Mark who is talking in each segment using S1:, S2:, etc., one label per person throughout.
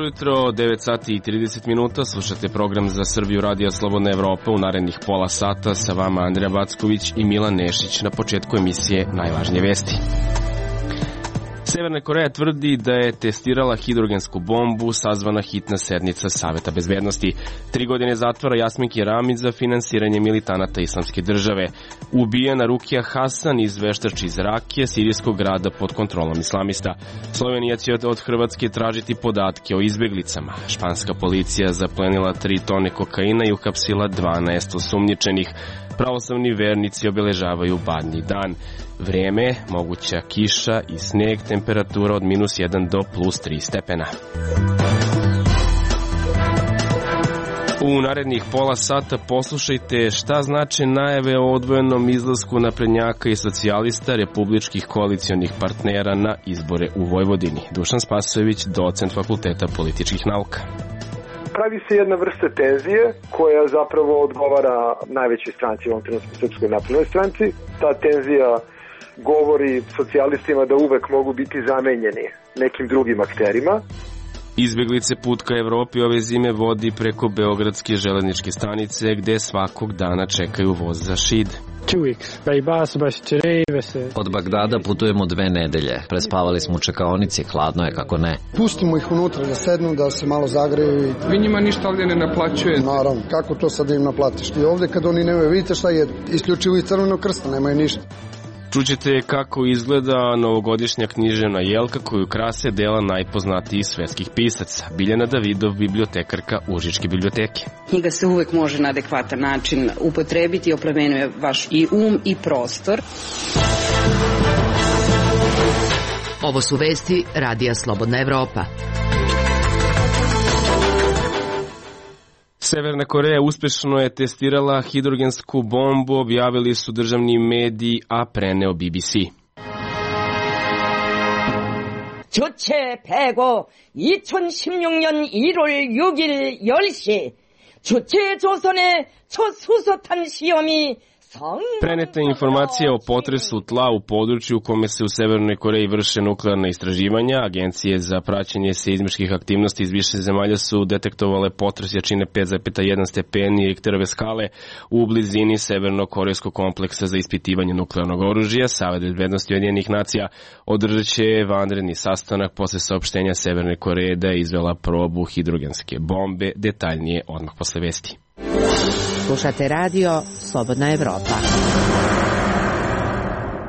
S1: Dobro jutro, 9 sati i 30 minuta, slušate program za Srbiju Radija Slobodna Evropa. U narednih pola sata sa vama Andrija Backović i Milan Nešić. Na početku emisije najvažnije vesti. Severna Koreja tvrdi da je testirala hidrogensku bombu, sazvana hitna sednica Saveta bezbednosti. 3 godine zatvora Jasminki Ramić za finansiranje militanata Islamske države. Ubijena Rukija Hasan iz veštač iz Rakije, sirijskog grada pod kontrolom islamista. Slovenija će od Hrvatske tražiti podatke o izbeglicama. Španska policija zaplenila 3 tone kokaina i uhapsila 12 osumnjičenih. Pravoslavni vernici obeležavaju Badnji dan. Vreme, moguća kiša i sneg, temperatura od -1 do +3 stepena. U narednih pola sata poslušajte šta znače najave o odvojenom izlasku naprednjaka i socijalista republičkih koalicionih partnera na izbore u Vojvodini. Dušan Spasojević, docent Fakulteta političkih nauka.
S2: Pravi se jedna vrsta tenzije koja zapravo odgovara najvećoj stranci, u ovom trenutku Srpskoj naprednoj stranci. Ta tenzija govori socijalistima da uvek mogu biti zamenjeni nekim drugim akterima.
S1: Izbeglice put ka Evropi ove zime vodi preko Beogradske železničke stanice, gde svakog dana čekaju voz za Šid.
S3: Od Bagdada putujemo 2 nedelje. Prespavali smo u čekaonici, hladno je kako ne.
S4: Pustimo ih unutra da sednu, da se malo zagreju.
S5: Vi njima ništa ovdje ne naplaćuje?
S4: Naravno, kako to sad da im naplatiš? I ovdje kad oni nemaju, vidite šta jedu? Isključivo iz Crvenog krsta, nemaju ništa.
S1: Čućete kako izgleda novogodišnja književna jelka koju krase dela najpoznatijih svetskih pisaca. Biljana Davidov, bibliotekarka Užičke biblioteke.
S6: Knjiga se uvek može na adekvatan način upotrebiti i oplemenjuje vaš i i prostor.
S7: Ovo su vesti Radija Slobodna Evropa.
S1: Severna Koreja uspešno je testirala hidrogensku bombu, objavili su državni mediji, a preneo BBC.
S8: 주체 105 2016년 1월 6일 10시 주체 조선의 첫 수소탄 시험이
S1: Preneta je informacija o potresu tla u području u kome se u Severnoj Koreji vrše nuklearna istraživanja. Agencije za praćenje seizmičkih aktivnosti iz više zemalja su detektovale potres jačine 5,1 stepeni Richterove skale u blizini severno-korejskog kompleksa za ispitivanje nuklearnog oružja. Savet bezbednosti Ujedinjenih nacija održat će vanredni sastanak posle saopštenja Severne Koreje da je izvela probu hidrogenske bombe. Detaljnije odmah posle vesti.
S7: Slušate radio Slobodna Evropa.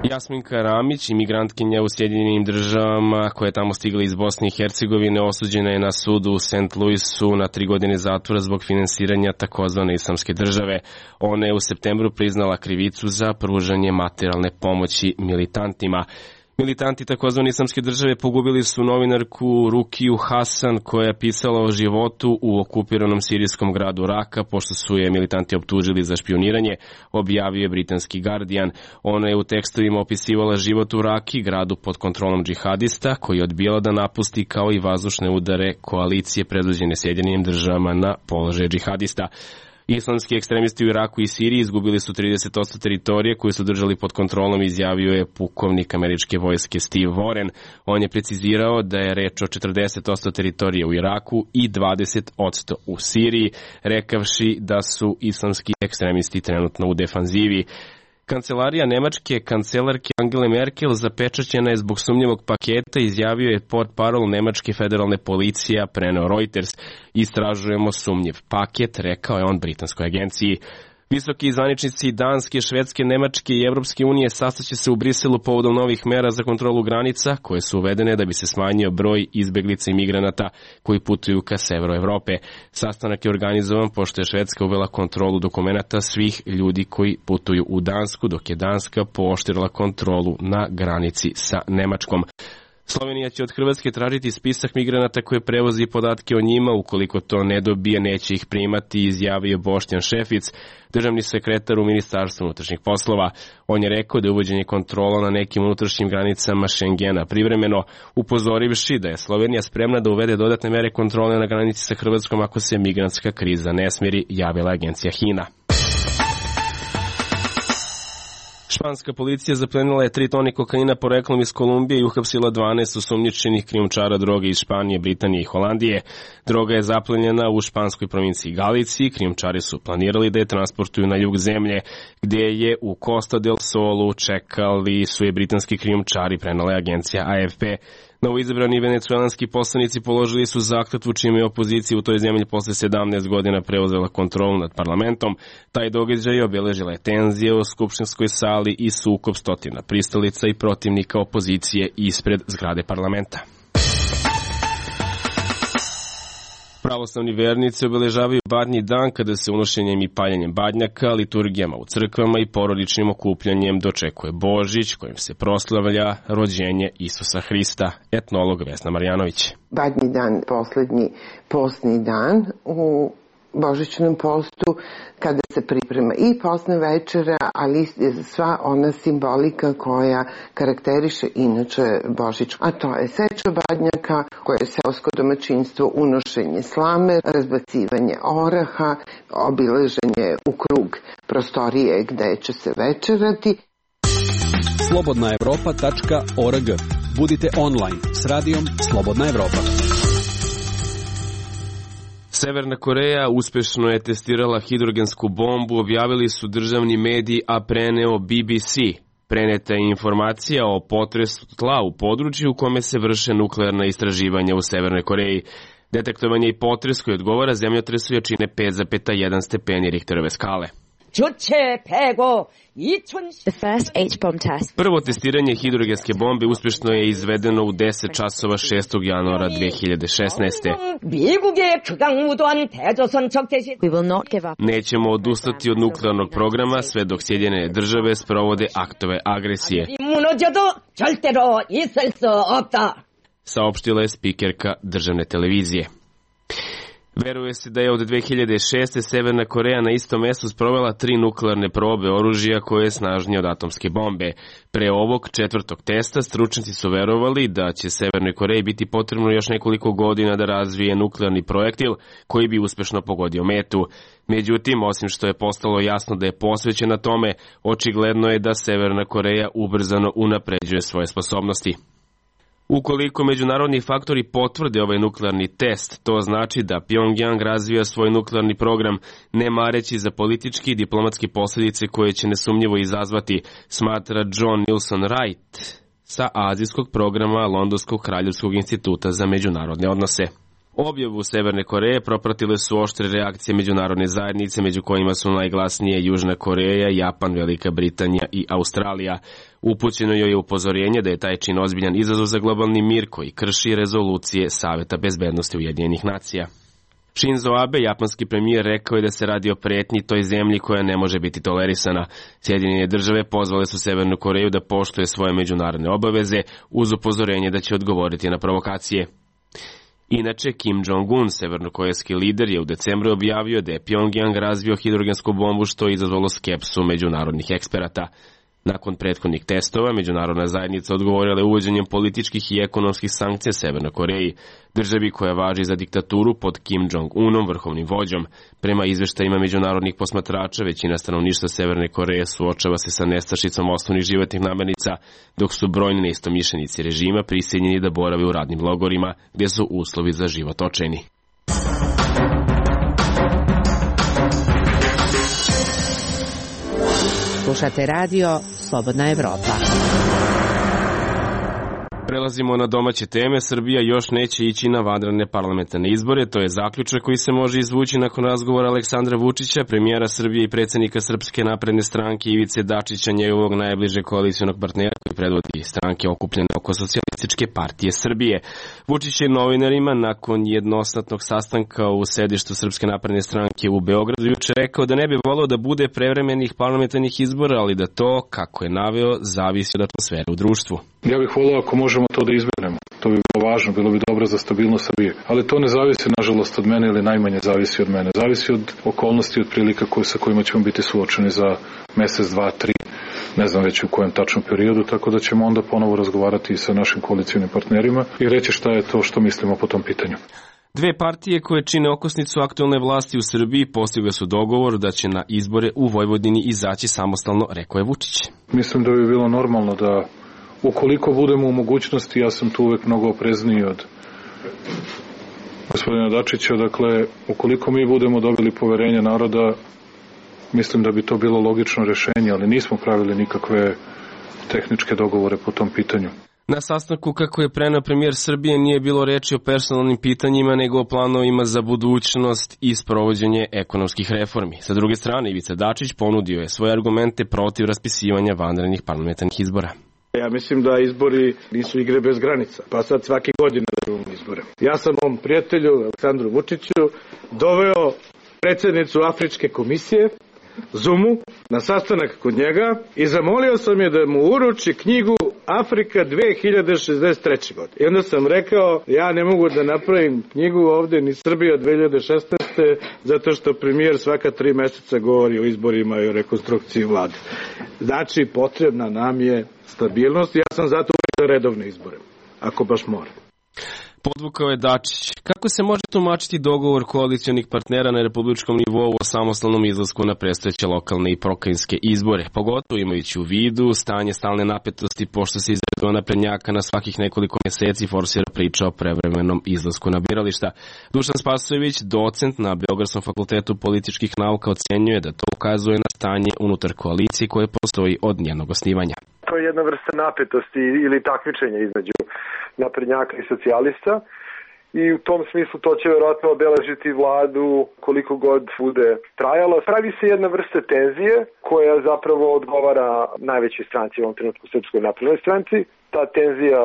S1: Jasminka Ramić, imigrantkinja u Sjedinjenim državama koja je tamo stigla iz Bosne i Hercegovine, osuđena je na sudu u St. Louisu na 3 godine zatvora zbog finansiranja takozvane Islamske države. Ona je u septembru priznala krivicu za pružanje materijalne pomoći militantima. Militanti takozvane Islamske države pogubili su novinarku Rukiju Hasan koja je pisala o životu u okupiranom sirijskom gradu Raka pošto su je militanti optužili za špijuniranje, objavio je britanski Guardian. Ona je u tekstovima opisivala život u Raki, gradu pod kontrolom džihadista koji je odbijala da napusti, kao i vazdušne udare koalicije predvođene Sjedinjenim državama na položaje džihadista. Islamski ekstremisti u Iraku i Siriji izgubili su 30% teritorije koju su držali pod kontrolom, izjavio je pukovnik američke vojske Steve Warren. On je precizirao da je reč o 40% teritorije u Iraku i 20% u Siriji, rekavši da su islamski ekstremisti trenutno u defanzivi. Kancelarija nemačke kancelarke Angele Merkel zapečaćena je zbog sumnjivog paketa, izjavio je portparol nemačke federalne policije, preneo Reuters. Istražujemo sumnjiv paket, rekao je on britanskoj agenciji. Visoki zvaničnici Danske, Švedske, Nemačke i Evropske unije sastaće se u Briselu povodom novih mera za kontrolu granica koje su uvedene da bi se smanjio broj izbeglica i migranata koji putuju ka severu Evrope. Sastanak je organizovan pošto je Švedska uvela kontrolu dokumenata svih ljudi koji putuju u Dansku, dok je Danska pooštrila kontrolu na granici sa Nemačkom. Slovenija će od Hrvatske tražiti spisak migranata koje prevozi podatke o njima. Ukoliko to ne dobije, neće ih primati, izjavio Boštjan Šefic, državni sekretar u Ministarstvu unutrašnjih poslova. On je rekao da je uvođenje kontrola na nekim unutrašnjim granicama Šengena privremeno, upozorivši da je Slovenija spremna da uvede dodatne mere kontrole na granici sa Hrvatskom ako se migrantska kriza ne smiri, javila agencija HINA. Španska policija zaplenila je 3 tone kokaina poreklom iz Kolumbije i uhapsila 12 osumnjičenih krijumčara droge iz Španije, Britanije i Holandije. Droga je zaplenjena u španskoj provinciji Galiciji. Krijumčari su planirali da je transportuju na jug zemlje, gde je u Costa del Solu čekali su je britanski krijumčari, prenala je agencija AFP. Novoizabrani venecuelanski poslanici položili su zakletvu čime je opozicija u toj zemlji posle 17 godina preuzela kontrolu nad parlamentom. Taj događaj obeležila je tenzije u skupštinskoj sali i sukob stotina pristalica i protivnika opozicije ispred zgrade parlamenta. Pravoslavni vernici obeležavaju Badnji dan kada se unošenjem i paljenjem badnjaka, liturgijama u crkvama i porodičnim okupljanjem dočekuje Božić, kojim se proslavlja rođenje Isusa Hrista. Etnolog Vesna Marjanović.
S9: Badnji dan, poslednji postni dan u božićnom postu, kada se priprema i postna večera, ali sva ona simbolika koja karakteriše inače Božić. A to je seča badnjaka, koje je seosko domaćinstvo, unošenje slame, razbacivanje oraha, obilaženje u krug prostorije gde će se večerati.
S10: slobodnaevropa.org. Budite online s radijom Slobodna Evropa.
S1: Severna Koreja uspešno je testirala hidrogensku bombu, objavili su državni mediji, a preneo BBC. Preneta je informacija o potresu tla u području u kome se vrše nuklearna istraživanja u Severnoj Koreji. Detektovan je i potres koji odgovara zemljotresu jačine 5,1 stepeni Richterove skale. Prvo testiranje hidrogenske bombe uspešno je izvedeno u 10 časova 6. januara 2016. Nećemo odustati od nuklearnog programa sve dok Sjedinjene države sprovode aktove agresije, saopštila je spikerka državne televizije. Veruje se da je od 2006. Severna Koreja na istom mestu sprovela 3 nuklearne probe oružja koje je snažnije od atomske bombe. Pre ovog 4. testa stručnjaci su verovali da će Severnoj Koreji biti potrebno još nekoliko godina da razvije nuklearni projektil koji bi uspešno pogodio metu. Međutim, osim što je postalo jasno da je posvećena tome, očigledno je da Severna Koreja ubrzano unapređuje svoje sposobnosti. Ukoliko međunarodni faktori potvrde ovaj nuklearni test, to znači da Pyongyang razvija svoj nuklearni program, ne mareći za politički i diplomatske posljedice koje će nesumnjivo izazvati, smatra John Nilsson Wright sa azijskog programa Londonskog kraljevskog instituta za međunarodne odnose. Objavu Severne Koreje propratile su oštre reakcije međunarodne zajednice, među kojima su najglasnije Južna Koreja, Japan, Velika Britanija i Australija. Upućeno joj je upozorenje da je taj čin ozbiljan izazov za globalni mir koji krši rezolucije Saveta bezbednosti Ujedinjenih nacija. Shinzo Abe, japanski premijer, rekao je da se radi o pretnji toj zemlji koja ne može biti tolerisana. Sjedinjene države pozvale su Severnu Koreju da poštuje svoje međunarodne obaveze uz upozorenje da će odgovoriti na provokacije. Inače, Kim Jong-un, severnokorejski lider, je u decembru objavio da je Pyongyang razvio hidrogensku bombu, što je izazvalo skepsu međunarodnih eksperata. Nakon prethodnih testova, međunarodna zajednica odgovorila je uvođenjem političkih i ekonomskih sankcija Severnoj Koreji, državi koja važi za diktaturu pod Kim Jong-unom, vrhovnim vođom. Prema izveštajima međunarodnih posmatrača, većina stanovništva Severne Koreje suočava se sa nestašicom osnovnih životnih namirnica, dok su brojni neistomišljenici režima prisiljeni da borave u radnim logorima, gdje su uslovi za život očajni.
S7: Slušate radio Slobodna Evropa.
S1: Prelazimo na domaće teme. Srbija još neće ići na vanredne parlamentarne izbore. To je zaključak koji se može izvući nakon razgovora Aleksandra Vučića, premijera Srbije i predsjednika Srpske napredne stranke Ivice Dačića, njegovog najbližeg koalicionog partnera koji predvodi stranke okupljene oko Socijalističke partije Srbije. Vučić je novinarima nakon jednosatnog sastanka u sedištu Srpske napredne stranke u Beogradu juče rekao da ne bi voleo da bude prevremenih parlamentarnih izbora, ali da to, kako je naveo, zavisi od atmosfere u društvu.
S11: Ja bih voleo ako možemo to da izbegnemo. To bi bilo važno, bilo bi dobro za stabilnost Srbije. Ali to ne zavisi, nažalost, od mene ili najmanje zavisi od mene. Zavisi od okolnosti, od prilika sa kojima ćemo biti suočeni za mesec, 2, 3, ne znam već u kojem tačnom periodu, tako da ćemo onda ponovo razgovarati sa našim koalicijnim partnerima i reći šta je to što mislimo po tom pitanju.
S1: Dve partije koje čine okosnicu aktuelne vlasti u Srbiji postigle su dogovor da će na izbore u Vojvodini izaći samostalno, rekao je Vučić.
S11: Mislim da bi bilo normalno da ukoliko budemo u mogućnosti, ja sam tu uvek mnogo oprezniji od gospodina Dačića, dakle, ukoliko mi budemo dobili poverenje naroda, mislim da bi to bilo logično rešenje, ali nismo pravili nikakve tehničke dogovore po tom pitanju.
S1: Na sastanku, kako je preneo premijer Srbije, nije bilo reči o personalnim pitanjima, nego o planovima za budućnost i sprovođenje ekonomskih reformi. Sa druge strane, Ivica Dačić ponudio je svoje argumente protiv raspisivanja vanrednih parlamentarnih izbora.
S12: Ja mislim da izbori nisu igre bez granica, pa sad svake godine da imamo izbore. Ja sam mom prijatelju Aleksandru Vučiću doveo predsjednicu Afričke komisije, Zumu, na sastanak kod njega i zamolio sam je da mu uruči knjigu Afrika 2063. godine. I onda sam rekao, ja ne mogu da napravim knjigu ovde ni Srbija 2016. zato što premijer svaka 3 meseca govori o izborima i o rekonstrukciji vlade. Znači, potrebna nam je stabilnost. Ja sam zato uvijek za redovne izbore, ako baš mora.
S1: Podvukao je Dačić. Kako se može tumačiti dogovor koalicionih partnera na republičkom nivou o samostalnom izlasku na predstojeće lokalne i pokrajinske izbore, pogotovo imajući u vidu stanje stalne napetosti pošto se iz redova naprednjaka na svakih nekoliko meseci forsira priča o prevremenom izlasku na birališta. Dušan Spasojević, docent na Beogradskom fakultetu političkih nauka, ocenjuje da to ukazuje na stanje unutar koalicije koje postoji od njenog osnivanja.
S2: To je jedna vrsta napetosti ili takmičenja između naprednjaka i socijalista i u tom smislu to će vjerojatno obeležiti vladu koliko god bude trajalo. Pravi se jedna vrsta tenzije koja zapravo odgovara najvećoj stranci, u ovom trenutku Srpskoj naprednoj stranci. Ta tenzija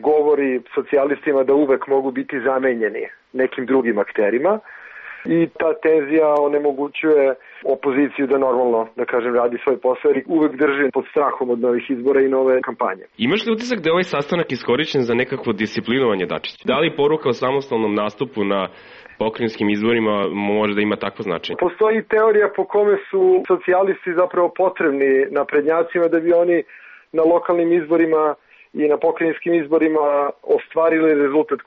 S2: govori socijalistima da uvek mogu biti zamenjeni nekim drugim akterima i ta tenzija onemogućuje opoziciju da normalno, da kažem, radi svoj posao jer uvek drži pod strahom od novih izbora i nove kampanje.
S1: Imaš li utisak da je ovaj sastanak iskorišćen za nekakvo disciplinovanje Dačića? Da li poruka o samostalnom nastupu na pokrajinskim izborima može da ima takvo značenje?
S2: Postoji teorija po kome su socijalisti zapravo potrebni naprednjacima da bi oni na lokalnim izborima i na pokrajinskim izborima ostvarili rezultat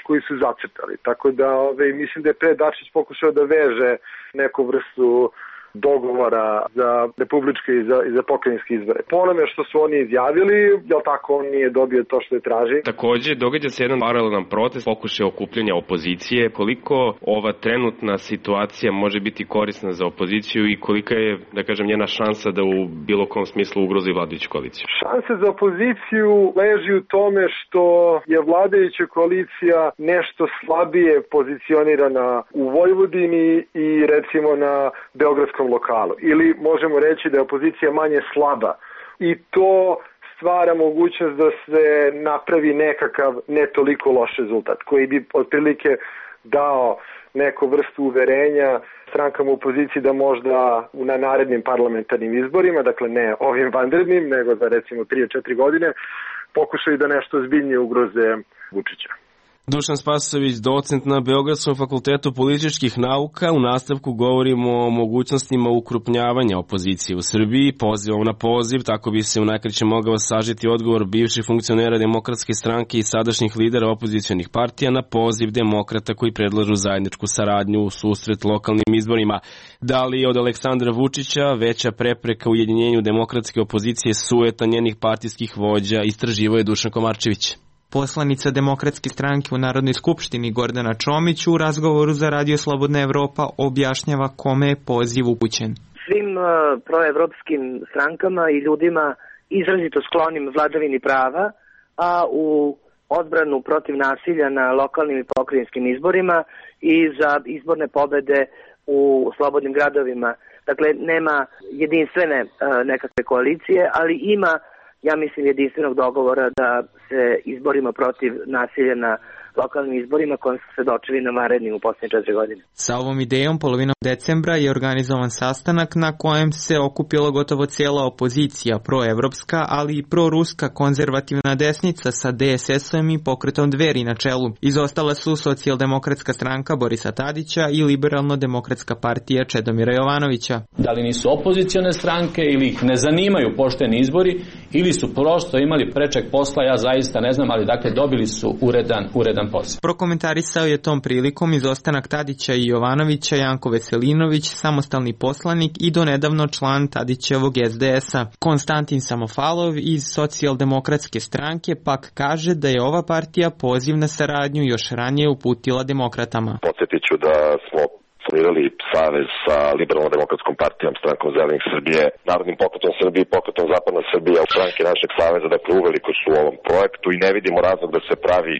S2: koji su zacrtali. Tako da mislim da je pre Dačić pokušao da veže neku vrstu dogovora za republičke i za pokrajinske izbore. Po onome što su oni izjavili, jel tako, on nije dobio to što je traži.
S1: Takođe, događa se jedan paralelan protest, pokušaj okupljanja opozicije. Koliko ova trenutna situacija može biti korisna za opoziciju i kolika je, da kažem, njena šansa da u bilo kom smislu ugrozi vladajuću koaliciju?
S2: Šanse za opoziciju leži u tome što je vladajuća koalicija nešto slabije pozicionirana u Vojvodini i recimo na beogradskom lokalu. Ili možemo reći da je opozicija manje slaba. I to stvara mogućnost da se napravi nekakav ne toliko loš rezultat, koji bi otprilike dao neku vrstu uverenja strankama u opoziciji da možda na narednim parlamentarnim izborima, dakle ne ovim vanrednim, nego za recimo 3-4 godine, pokušaju da nešto ozbiljnije ugroze Vučića.
S1: Dušan Spasojević, docent na Beogradskom fakultetu političkih nauka. U nastavku govorimo o mogućnostima ukrupnjavanja opozicije u Srbiji, pozivom na poziv, tako bi se u najkraće mogao sažeti odgovor bivših funkcionera Demokratske stranke i sadašnjih lidera opozicionih partija na poziv demokrata koji predlažu zajedničku saradnju u susret lokalnim izborima. Da li od Aleksandra Vučića veća prepreka ujedinjenju demokratske opozicije sueta njenih partijskih vođa, istraživao je Dušan Komarčević.
S13: Poslanica Demokratske stranke u Narodnoj skupštini Gordana Čomić u razgovoru za Radio Slobodna Evropa objašnjava kome je poziv upućen.
S14: Svim proevropskim strankama i ljudima izrazito sklonim vladavini prava, a u odbranu protiv nasilja na lokalnim i pokrajinskim izborima i za izborne pobede u slobodnim gradovima. Dakle, nema jedinstvene nekakve koalicije, ali ima, ja mislim, jedinstvenog dogovora da se izborimo protiv nasilja na lokalnim izborima kojim su svedočili na vanrednim u posljednje 4 godine.
S13: Sa ovom idejom polovinom decembra je organizovan sastanak na kojem se okupila gotovo cijela opozicija, proevropska, ali i proruska konzervativna desnica sa DSS-om i pokretom Dveri na čelu. Izostala su Socijaldemokratska stranka Borisa Tadića i Liberalno-demokratska partija Čedomira Jovanovića.
S15: Da li nisu opozicione stranke ili ih ne zanimaju pošteni izbori ili su prosto imali prečeg posla, ja zaista ne znam, ali dakle dobili su uredan ozbiljan posao.
S13: Prokomentarisao je tom prilikom izostanak Tadića i Jovanovića Janko Veselinović, samostalni poslanik i donedavno član Tadićevog SDS-a. Konstantin Samofalov iz Socijaldemokratske stranke pak kaže da je ova partija poziv na saradnju još ranije uputila demokratama.
S16: Podsjetit ću da smo formirali savez sa Liberalno-demokratskom partijom, Strankom Zelenih Srbije, Narodnim pokretom Srbije i Pokretom Zapadna Srbija u stranke našeg saveza, dakle uveliko su u ovom projektu i ne vidimo razlog da se pravi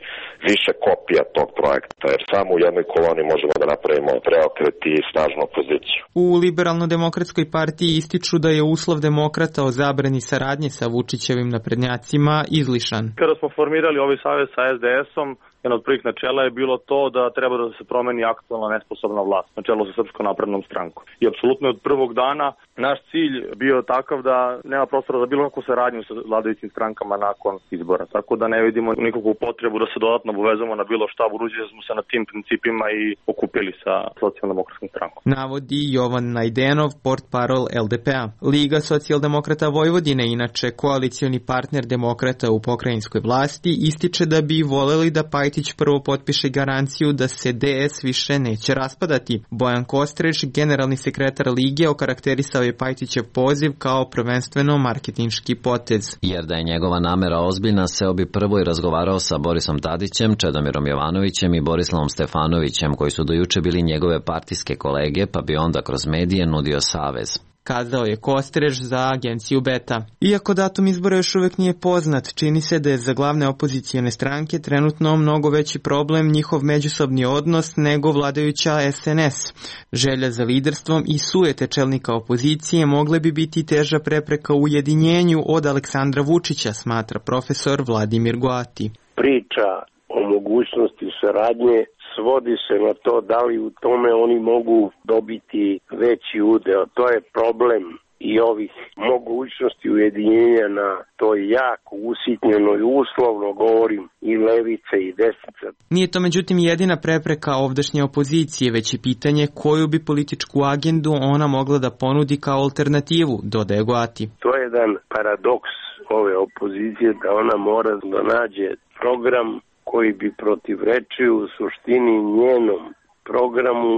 S16: više kopija tog projekta, jer samo u jednoj koloni možemo da napravimo preokret i snažnu opoziciju.
S13: U Liberalno-demokratskoj partiji ističu da je uslov demokrata o zabrani saradnje sa Vučićevim naprednjacima izlišan.
S17: Kada smo formirali ovaj savez sa SDS-om, jedno od prvih načela je bilo to da treba da se promeni aktualna nesposobna vlast na čelu sa Srpskom naprednom strankom. I apsolutno od prvog dana naš cilj bio takav da nema prostora za bilo kakvu saradnju sa vladajućim strankama nakon izbora. Tako da ne vidimo nikakvu potrebu da se dodatno obavezamo na bilo šta, budući da smo se na tim principima i okupili sa Socijaldemokratskom strankom.
S13: Navodi Jovan Najdenov, portparol LDP-a. Liga socijaldemokrata Vojvodine, inače koalicioni partner demokrata u pokrajinskoj vlasti, ističe da bi voleli da Pajtić prvo potpiše garanciju da se DS više neće raspadati. Bojan Kostreš, generalni sekretar Lige, okarakterisao je Pajtićev poziv kao prvenstveno marketinški potez.
S3: Jer da je njegova namera ozbiljna, seo bi prvo i razgovarao sa Borisom Tadićem, Čedomirom Jovanovićem i Borislavom Stefanovićem, koji su dojuče bili njegove partijske kolege, pa bi onda kroz medije nudio savez.
S13: Kazao je Kostreš za agenciju Beta. Iako datum izbora još uvek nije poznat, čini se da je za glavne opozicijone stranke trenutno mnogo veći problem njihov međusobni odnos nego vladajuća SNS. Želja za liderstvom i sujete čelnika opozicije mogle bi biti teža prepreka ujedinjenju od Aleksandra Vučića, smatra profesor Vladimir Goati.
S18: Priča o mogućnosti saradnje svodi se na to da li u tome oni mogu dobiti veći udeo. To je problem i ovih mogućnosti ujedinjenja na toj jako usitnjenoj, uslovno govorim, i levice i desnice.
S13: Nije to međutim jedina prepreka ovdašnje opozicije, već i pitanje koju bi političku agendu ona mogla da ponudi kao alternativu, dodaje Goati.
S18: To je jedan paradoks ove opozicije, da ona mora da nađe program koji bi protivrečio u suštini njenom programu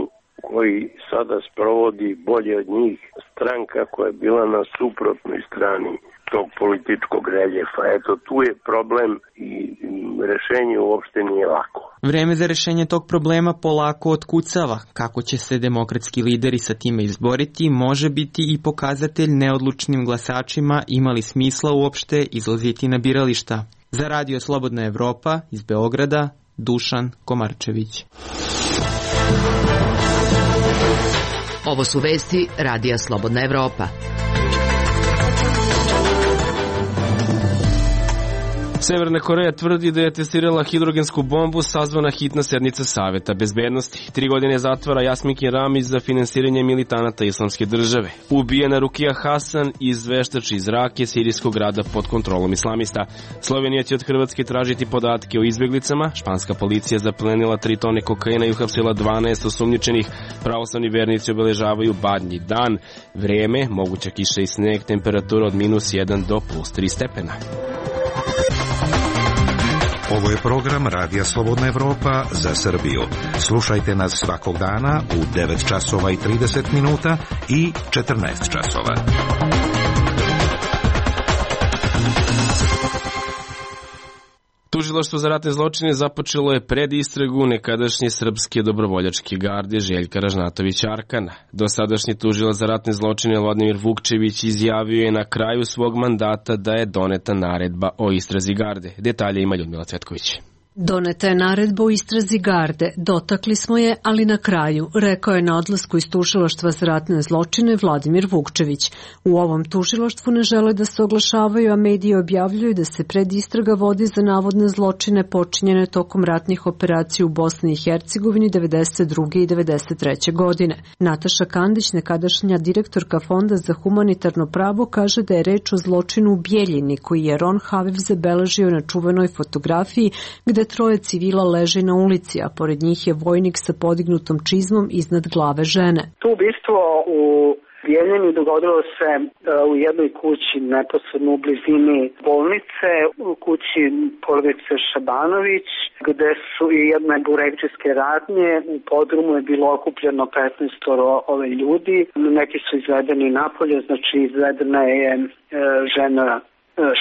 S18: koji sada sprovodi bolje od njih stranka koja je bila na suprotnoj strani tog političkog reljefa. Eto, tu je problem i rešenje uopšte nije lako.
S13: Vreme za rešenje tog problema polako otkucava. Kako će se demokratski lideri sa time izboriti, može biti i pokazatelj neodlučnim glasačima imali smisla uopšte izlaziti na birališta. Za Radio Slobodna Evropa iz Beograda, Dušan Komarčević.
S7: Ovo su vesti Radija Slobodna Evropa.
S1: Severna Koreja tvrdi da je testirala hidrogensku bombu, sazvana hitna sednica Saveta bezbednosti. 3 godine zatvora Jasminkin Ramić za finansiranje militanata Islamske države. Ubijena Rukija Hasan iz veštači iz Rake, sirijskog grada pod kontrolom islamista. Slovenija će od Hrvatske tražiti podatke o izbjeglicama. Španska policija zaplenila 3 tone kokaina i uhapsila 12 osumnjičenih. Pravoslavni vernici obeležavaju Badnji dan. Vreme, moguća kiša i sneg, temperatura od -1 do +3 stepena.
S19: Ovo je program Radija Slobodna Evropa za Srbiju. Slušajte nas svakog dana u 9 časova i 30 minuta i 14 časova.
S1: Tužilaštvo za ratne zločine započelo je predistragu nekadašnje srpske dobrovoljačke garde Željka Ražnatovića Arkana. Dosadašnji tužilac za ratne zločine Vladimir Vukčević izjavio je na kraju svog mandata da je doneta naredba o istrazi garde. Detalje ima Ljudmila Cvetković.
S20: Doneta je naredba o istrazi garde, dotakli smo je, ali na kraju, rekao je na odlasku iz tužilaštva za ratne zločine Vladimir Vukčević. U ovom tužilaštvu ne žele da se oglašavaju, a mediji objavljuju da se predistraga vodi za navodne zločine počinjene tokom ratnih operacija u Bosni i Hercegovini 92. i 93. godine. Nataša Kandić, nekadašnja direktorka Fonda za humanitarno pravo, kaže da je reč o zločinu u Bijeljini, koji je Ron Haviv zabeležio na čuvenoj fotografiji gde 3 civila leži na ulici, a pored njih je vojnik sa podignutom čizmom iznad glave žene.
S21: To ubistvo u Bijeljeni dogodilo se u jednoj kući neposredno u blizini bolnice, u kući porodice Šabanović, gde su i jedne burekdžijske radnje. U podrumu je bilo okupljeno 15 ove ljudi. Neki su izvedeni napolje, znači izvedena je žena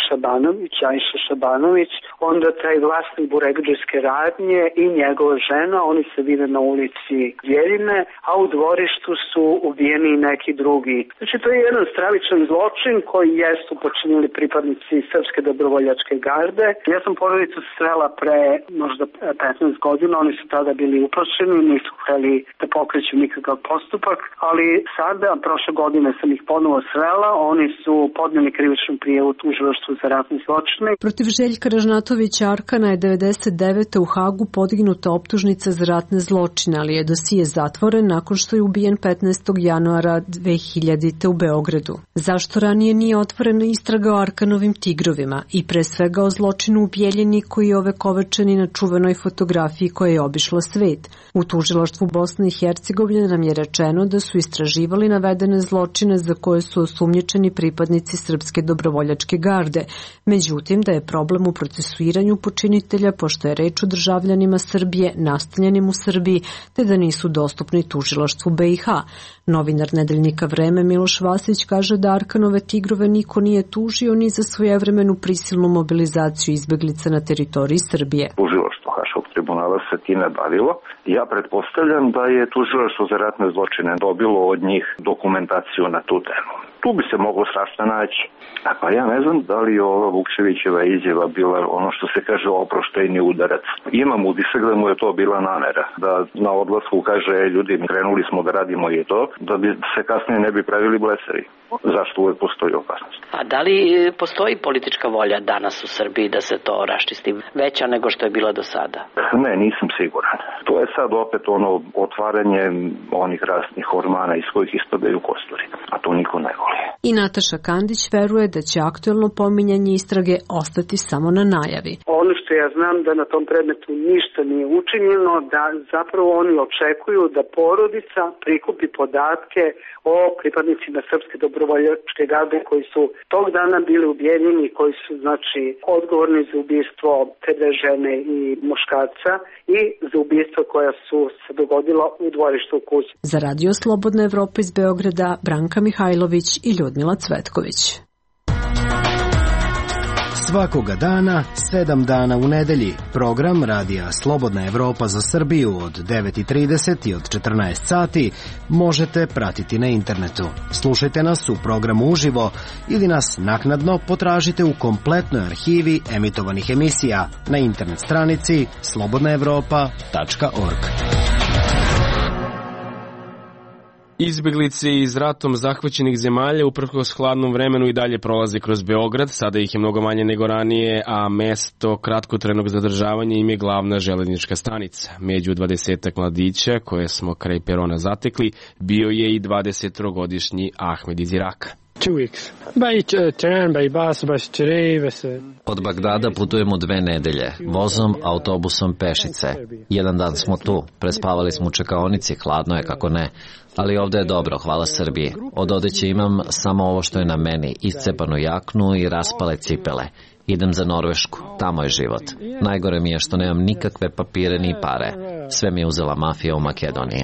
S21: Šabanović, Ajša Šabanović, onda taj vlasnik burekdžijske radnje i njegova žena, oni se vide na ulici Bjeljine, a u dvorištu su ubijeni neki drugi. Znači to je jedan stravičan zločin koji jesu počinili pripadnici Srpske dobrovoljačke garde. Ja sam porodicu srela pre možda 15 godina, oni su tada bili uplašeni, nisu hteli da pokreću nikakav postupak, ali sada, prošle godine sam ih ponovo srela, oni su podneli krivičnu prijavu tužilaštvu za ratne zločine.
S20: Protiv Željka Ražnatovića Arkana je 99. u Hagu podignuta optužnica za ratne zločine, ali je dosije zatvoren nakon što je ubijen 15. januara 2000. u Beogradu. Zašto ranije nije otvorena istraga o Arkanovim tigrovima i pre svega o zločinu u Bijeljini koji je ovekovečen na čuvenoj fotografiji koja je obišla svet? U tužilaštvu Bosne i Hercegovine nam je rečeno da su istraživali navedene zločine za koje su osumnjičeni pripadnici Srpske dobrovoljačke garde. Međutim, da je problem u procesuiranju počinitelja, pošto je reč o državljanima Srbije, nastanjenim u Srbiji, te da nisu dostupni tužilaštvu BiH. Novinar nedeljnika Vreme Miloš Vasić kaže da Arkanove tigrove niko nije tužio ni za svojevremenu prisilnu mobilizaciju izbeglica na teritoriji Srbije.
S22: Tužilaštvo Haškog tribunala se time bavilo. Ja pretpostavljam da je tužilaštvo za ratne zločine dobilo od njih dokumentaciju na tu temu. Tu bi se moglo strašno naći. A pa ja ne znam da li je ova Vukčevićeva izjava bila ono što se kaže oproštajni udarac. Imam utisak da mu je to bila namera. Da na odlasku kaže ljudi krenuli smo da radimo i to, da bi se kasnije ne bi pravili bleseri. Zašto uvek postoji opasnost?
S23: A da li postoji politička volja danas u Srbiji da se to raščisti veća nego što je bila do sada?
S22: Ne, nisam siguran. To je sad opet ono otvaranje onih rasnih ormana iz kojih ispadaju kosturi. A to niko ne voli.
S20: I Nataša Kandić veruje da će aktuelno pominjanje istrage ostati samo na najavi.
S21: Ono što ja znam da na tom predmetu ništa nije učinjeno, da zapravo oni očekuju da porodica prikupi podatke o pripadnicima Srpske dobrovoljačke garde koji su tog dana bili ubijeni i koji su znači odgovorni za ubistvo te dve žene i muškarca i za ubistva koja su se dogodila u dvorištu u kući.
S20: Za Radio Slobodna Evropa iz Beograda, Branka Mihajlović i Ljudmila Cvetković.
S24: Svakoga dana, 7 dana u nedelji, program Radija Slobodna Evropa za Srbiju od 9:30 i od 14 sati možete pratiti na internetu. Slušajte nas u programu uživo ili nas naknadno potražite u kompletnoj arhivi emitovanih emisija na internet stranici slobodnaevropa.org.
S1: Izbeglice iz ratom zahvaćenih zemalja uprkos hladnom vremenu i dalje prolaze kroz Beograd, sada ih je mnogo manje nego ranije, a mesto kratkotrajnog zadržavanja im je glavna železnička stanica. Među 20 mladića koje smo kraj perona zatekli, bio je i 23-godišnji Ahmed iz Iraka.
S3: Od Bagdada putujemo 2 nedelje, vozom, autobusom, pešice. Jedan dan smo tu, prespavali smo u čekaonici, hladno je kako ne, ali ovde je dobro, hvala Srbiji. Od odeće imam samo ovo što je na meni, iscepanu jaknu i raspale cipele. Idem za Norvešku, tamo je život. Najgore mi je što nemam nikakve papire ni pare. Sve mi je uzela mafija u Makedoniji.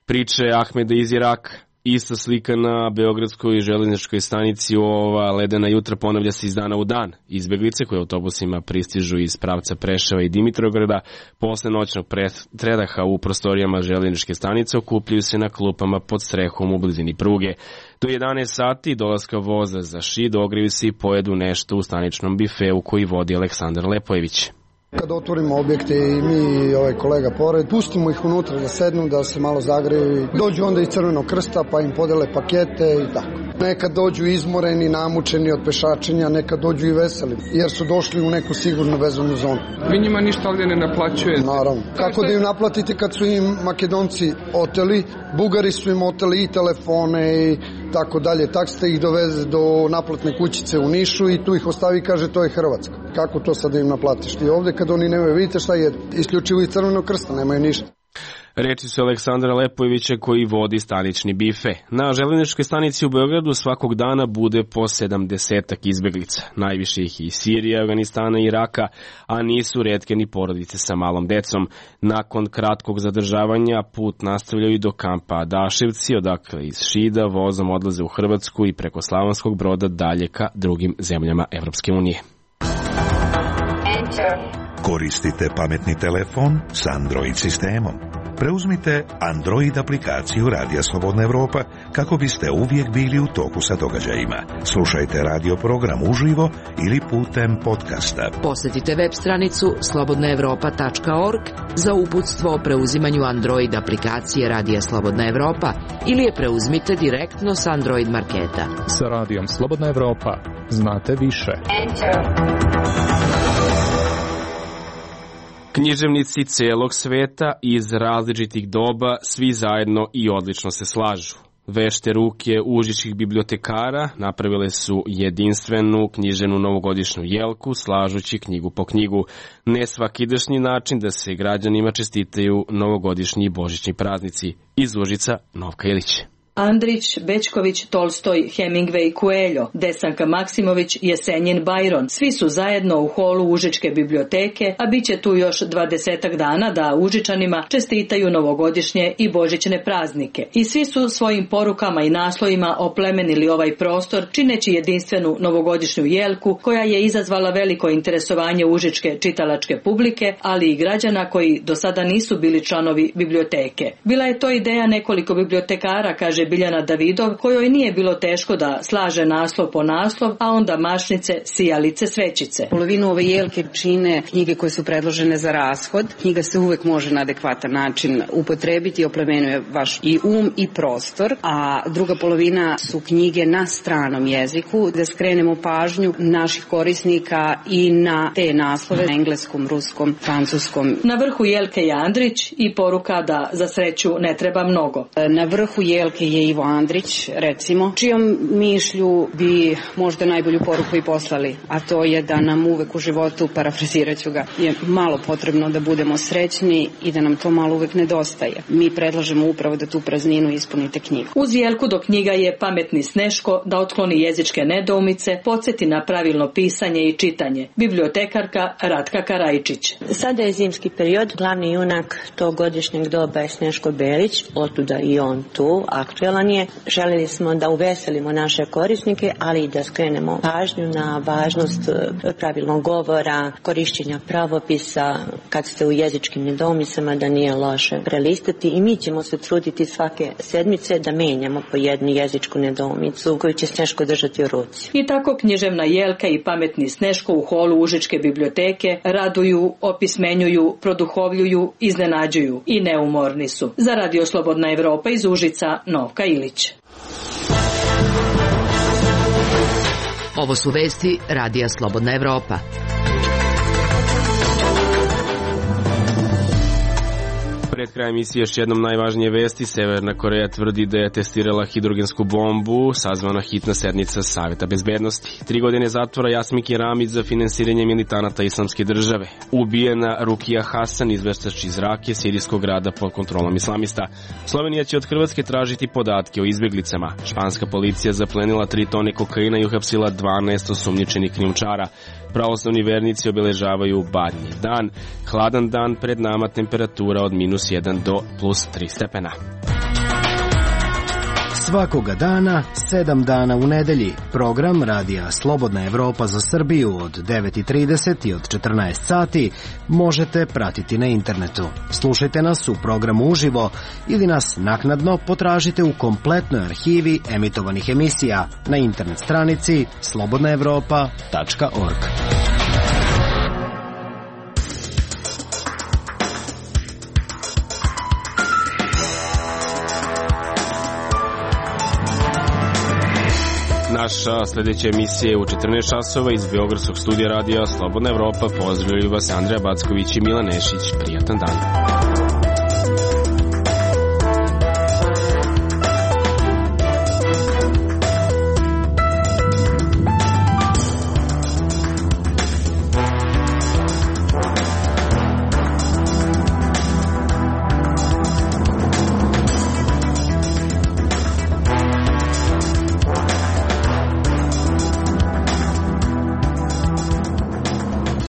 S1: Priče Ahmeda iz Iraka. Ista slika na beogradskoj železničkoj stanici u ova ledena jutra ponavlja se iz dana u dan. Izbeglice koje autobusima pristižu iz pravca Preševa i Dimitrovgrada posle noćnog predaha u prostorijama železničke stanice okupljaju se na klupama pod strehom u blizini pruge. Do 11 sati dolaska voza za Šid ogreju se i pojedu nešto u staničnom bifeu koji vodi Aleksandar Lepojević.
S4: Kad otvorimo objekte i mi i ovaj kolega pored, pustimo ih unutra da sednu, da se malo zagreju. Dođu onda iz Crvenog krsta pa im podele pakete i tako. Nekad dođu izmoreni, namučeni od pešačenja, nekad dođu i veseli, jer su došli u neku sigurnu vezanu zonu.
S5: Vi njima ništa ovdje ne naplaćujete?
S4: Naravno. Kako da im naplatite kad su im Makedonci oteli, Bugari su im oteli i telefone i tako dalje. Tak ste ih doveze do naplatne kućice u Nišu i tu ih ostavi i kaže to je Hrvatska. Kako to sad da im naplatiš? I ovdje kad oni nemaju, vidite šta je, isključivo iz Crvenog krsta, nemaju ništa.
S1: Reči su Aleksandra Lepojevića koji vodi stanični bife. Na železničkoj stanici u Beogradu svakog dana bude po 70 izbeglica. Najviše ih iz Sirije, Afganistana i Iraka, a nisu retke ni porodice sa malom decom. Nakon kratkog zadržavanja put nastavljaju do kampa Adaševci, odakle iz Šida vozom odlaze u Hrvatsku i preko Slavonskog Broda dalje ka drugim zemljama Evropske unije.
S19: Koristite pametni telefon s Android sistemom. Preuzmite Android aplikaciju Radija Slobodna Evropa kako biste uvijek bili u toku sa događajima. Slušajte radio program uživo ili putem podcasta.
S7: Posjetite web stranicu slobodnaevropa.org za uputstvo o preuzimanju Android aplikacije Radija Slobodna Evropa ili je preuzmite direktno s Android marketa.
S6: Sa Radijom Slobodna Evropa znate više.
S1: Književnici celog sveta iz različitih doba svi zajedno i odlično se slažu. Vešte ruke užičkih bibliotekara napravile su jedinstvenu književnu novogodišnju jelku, slažući knjigu po knjigu. Nesvakidašnji način da se građanima čestitaju novogodišnji i božićni praznici. Iz Užica, Novka Ilić.
S8: Andrić, Bečković, Tolstoj, Hemingway, Coelho, Desanka Maksimović, Jesenjin, Byron. Svi su zajedno u holu Užičke biblioteke, a bit će tu još 20 dana da Užičanima čestitaju novogodišnje i božićne praznike. I svi su svojim porukama i naslovima oplemenili ovaj prostor, čineći jedinstvenu novogodišnju jelku koja je izazvala veliko interesovanje užičke čitalačke publike, ali i građana koji do sada nisu bili članovi biblioteke. Bila je to ideja nekoliko bibliotekara, kaže Biljana Davidov, kojoj nije bilo teško da slaže naslov po naslov, a onda mašnice, sijalice, svećice.
S9: Polovinu ove jelke čine knjige koje su predložene za rashod. Knjiga se uvek može na adekvatan način upotrebiti i oplemenjuje vaš i i prostor, a druga polovina su knjige na stranom jeziku, da skrenemo pažnju naših korisnika i na te naslove na engleskom, ruskom, francuskom.
S8: Na vrhu jelke je Andrić i poruka da za sreću ne treba mnogo.
S9: Na vrhu jelke je Ivo Andrić, recimo, čijom mišlju bi možda najbolju poruku i poslali, a to je da nam uvek u životu, parafraziraću ga, je malo potrebno da budemo srećni i da nam to malo uvek nedostaje. Mi predlažemo upravo da tu prazninu ispunite knjigu.
S8: Uz jelku do knjiga je Pametni Sneško da otkloni jezičke nedoumice, podsjeti na pravilno pisanje i čitanje. Bibliotekarka Ratka Karajčić.
S10: Sada je zimski period, glavni junak tog godišnjeg doba je Sneško Belić, otuda i on tu, aktuelan je. Željeli smo da uveselimo naše korisnike, ali i da skrenemo pažnju na važnost pravilnog govora, korišćenja pravopisa, kad ste u jezičkim nedoumicama, da nije loše prelistati i mi ćemo se truditi svake sedmice da menjamo po jednu jezičku nedoumicu koju će Sneško držati u ruci.
S8: I tako književna jelka i Pametni Sneško u holu Užičke biblioteke raduju, opismenjuju, produhovljuju, iznenađuju i neumorni su. Za Radio Slobodna Evropa iz Užica, Novka Ilić.
S7: Ovo su vesti Radija Slobodna Evropa.
S1: Pred krajem emisije još jednom najvažnije vesti. Severna Koreja tvrdi da je testirala hidrogensku bombu, sazvana hitna sednica Saveta bezbednosti. 3 godine zatvora Jasmiki Ramić za finansiranje militanata Islamske države. Ubijena Rukija Hasan, izveštač iz Rake, sirijskog grada pod kontrolom islamista. Slovenija će od Hrvatske tražiti podatke o izbjeglicama. Španska policija zaplenila 3 tone kokaina i uhapsila 12 osumnjičenih krijumčara. Pravoslavni vernici obeležavaju Badnji dan. Hladan dan, pred nama temperatura od -1 do +3 stepena.
S24: Svakoga dana, 7 dana u nedelji. Program Radija Slobodna Evropa za Srbiju od 9:30 i od 14 sati možete pratiti na internetu. Slušajte nas u programu uživo ili nas naknadno potražite u kompletnoj arhivi emitovanih emisija na internet stranici slobodnaevropa.org.
S1: Naša sljedeća emisija je u 14 časova iz Beogradskog studija radija Slobodna Evropa. Pozdravljaju vas Andreja Backović i Milan Nešić. Prijatan dan.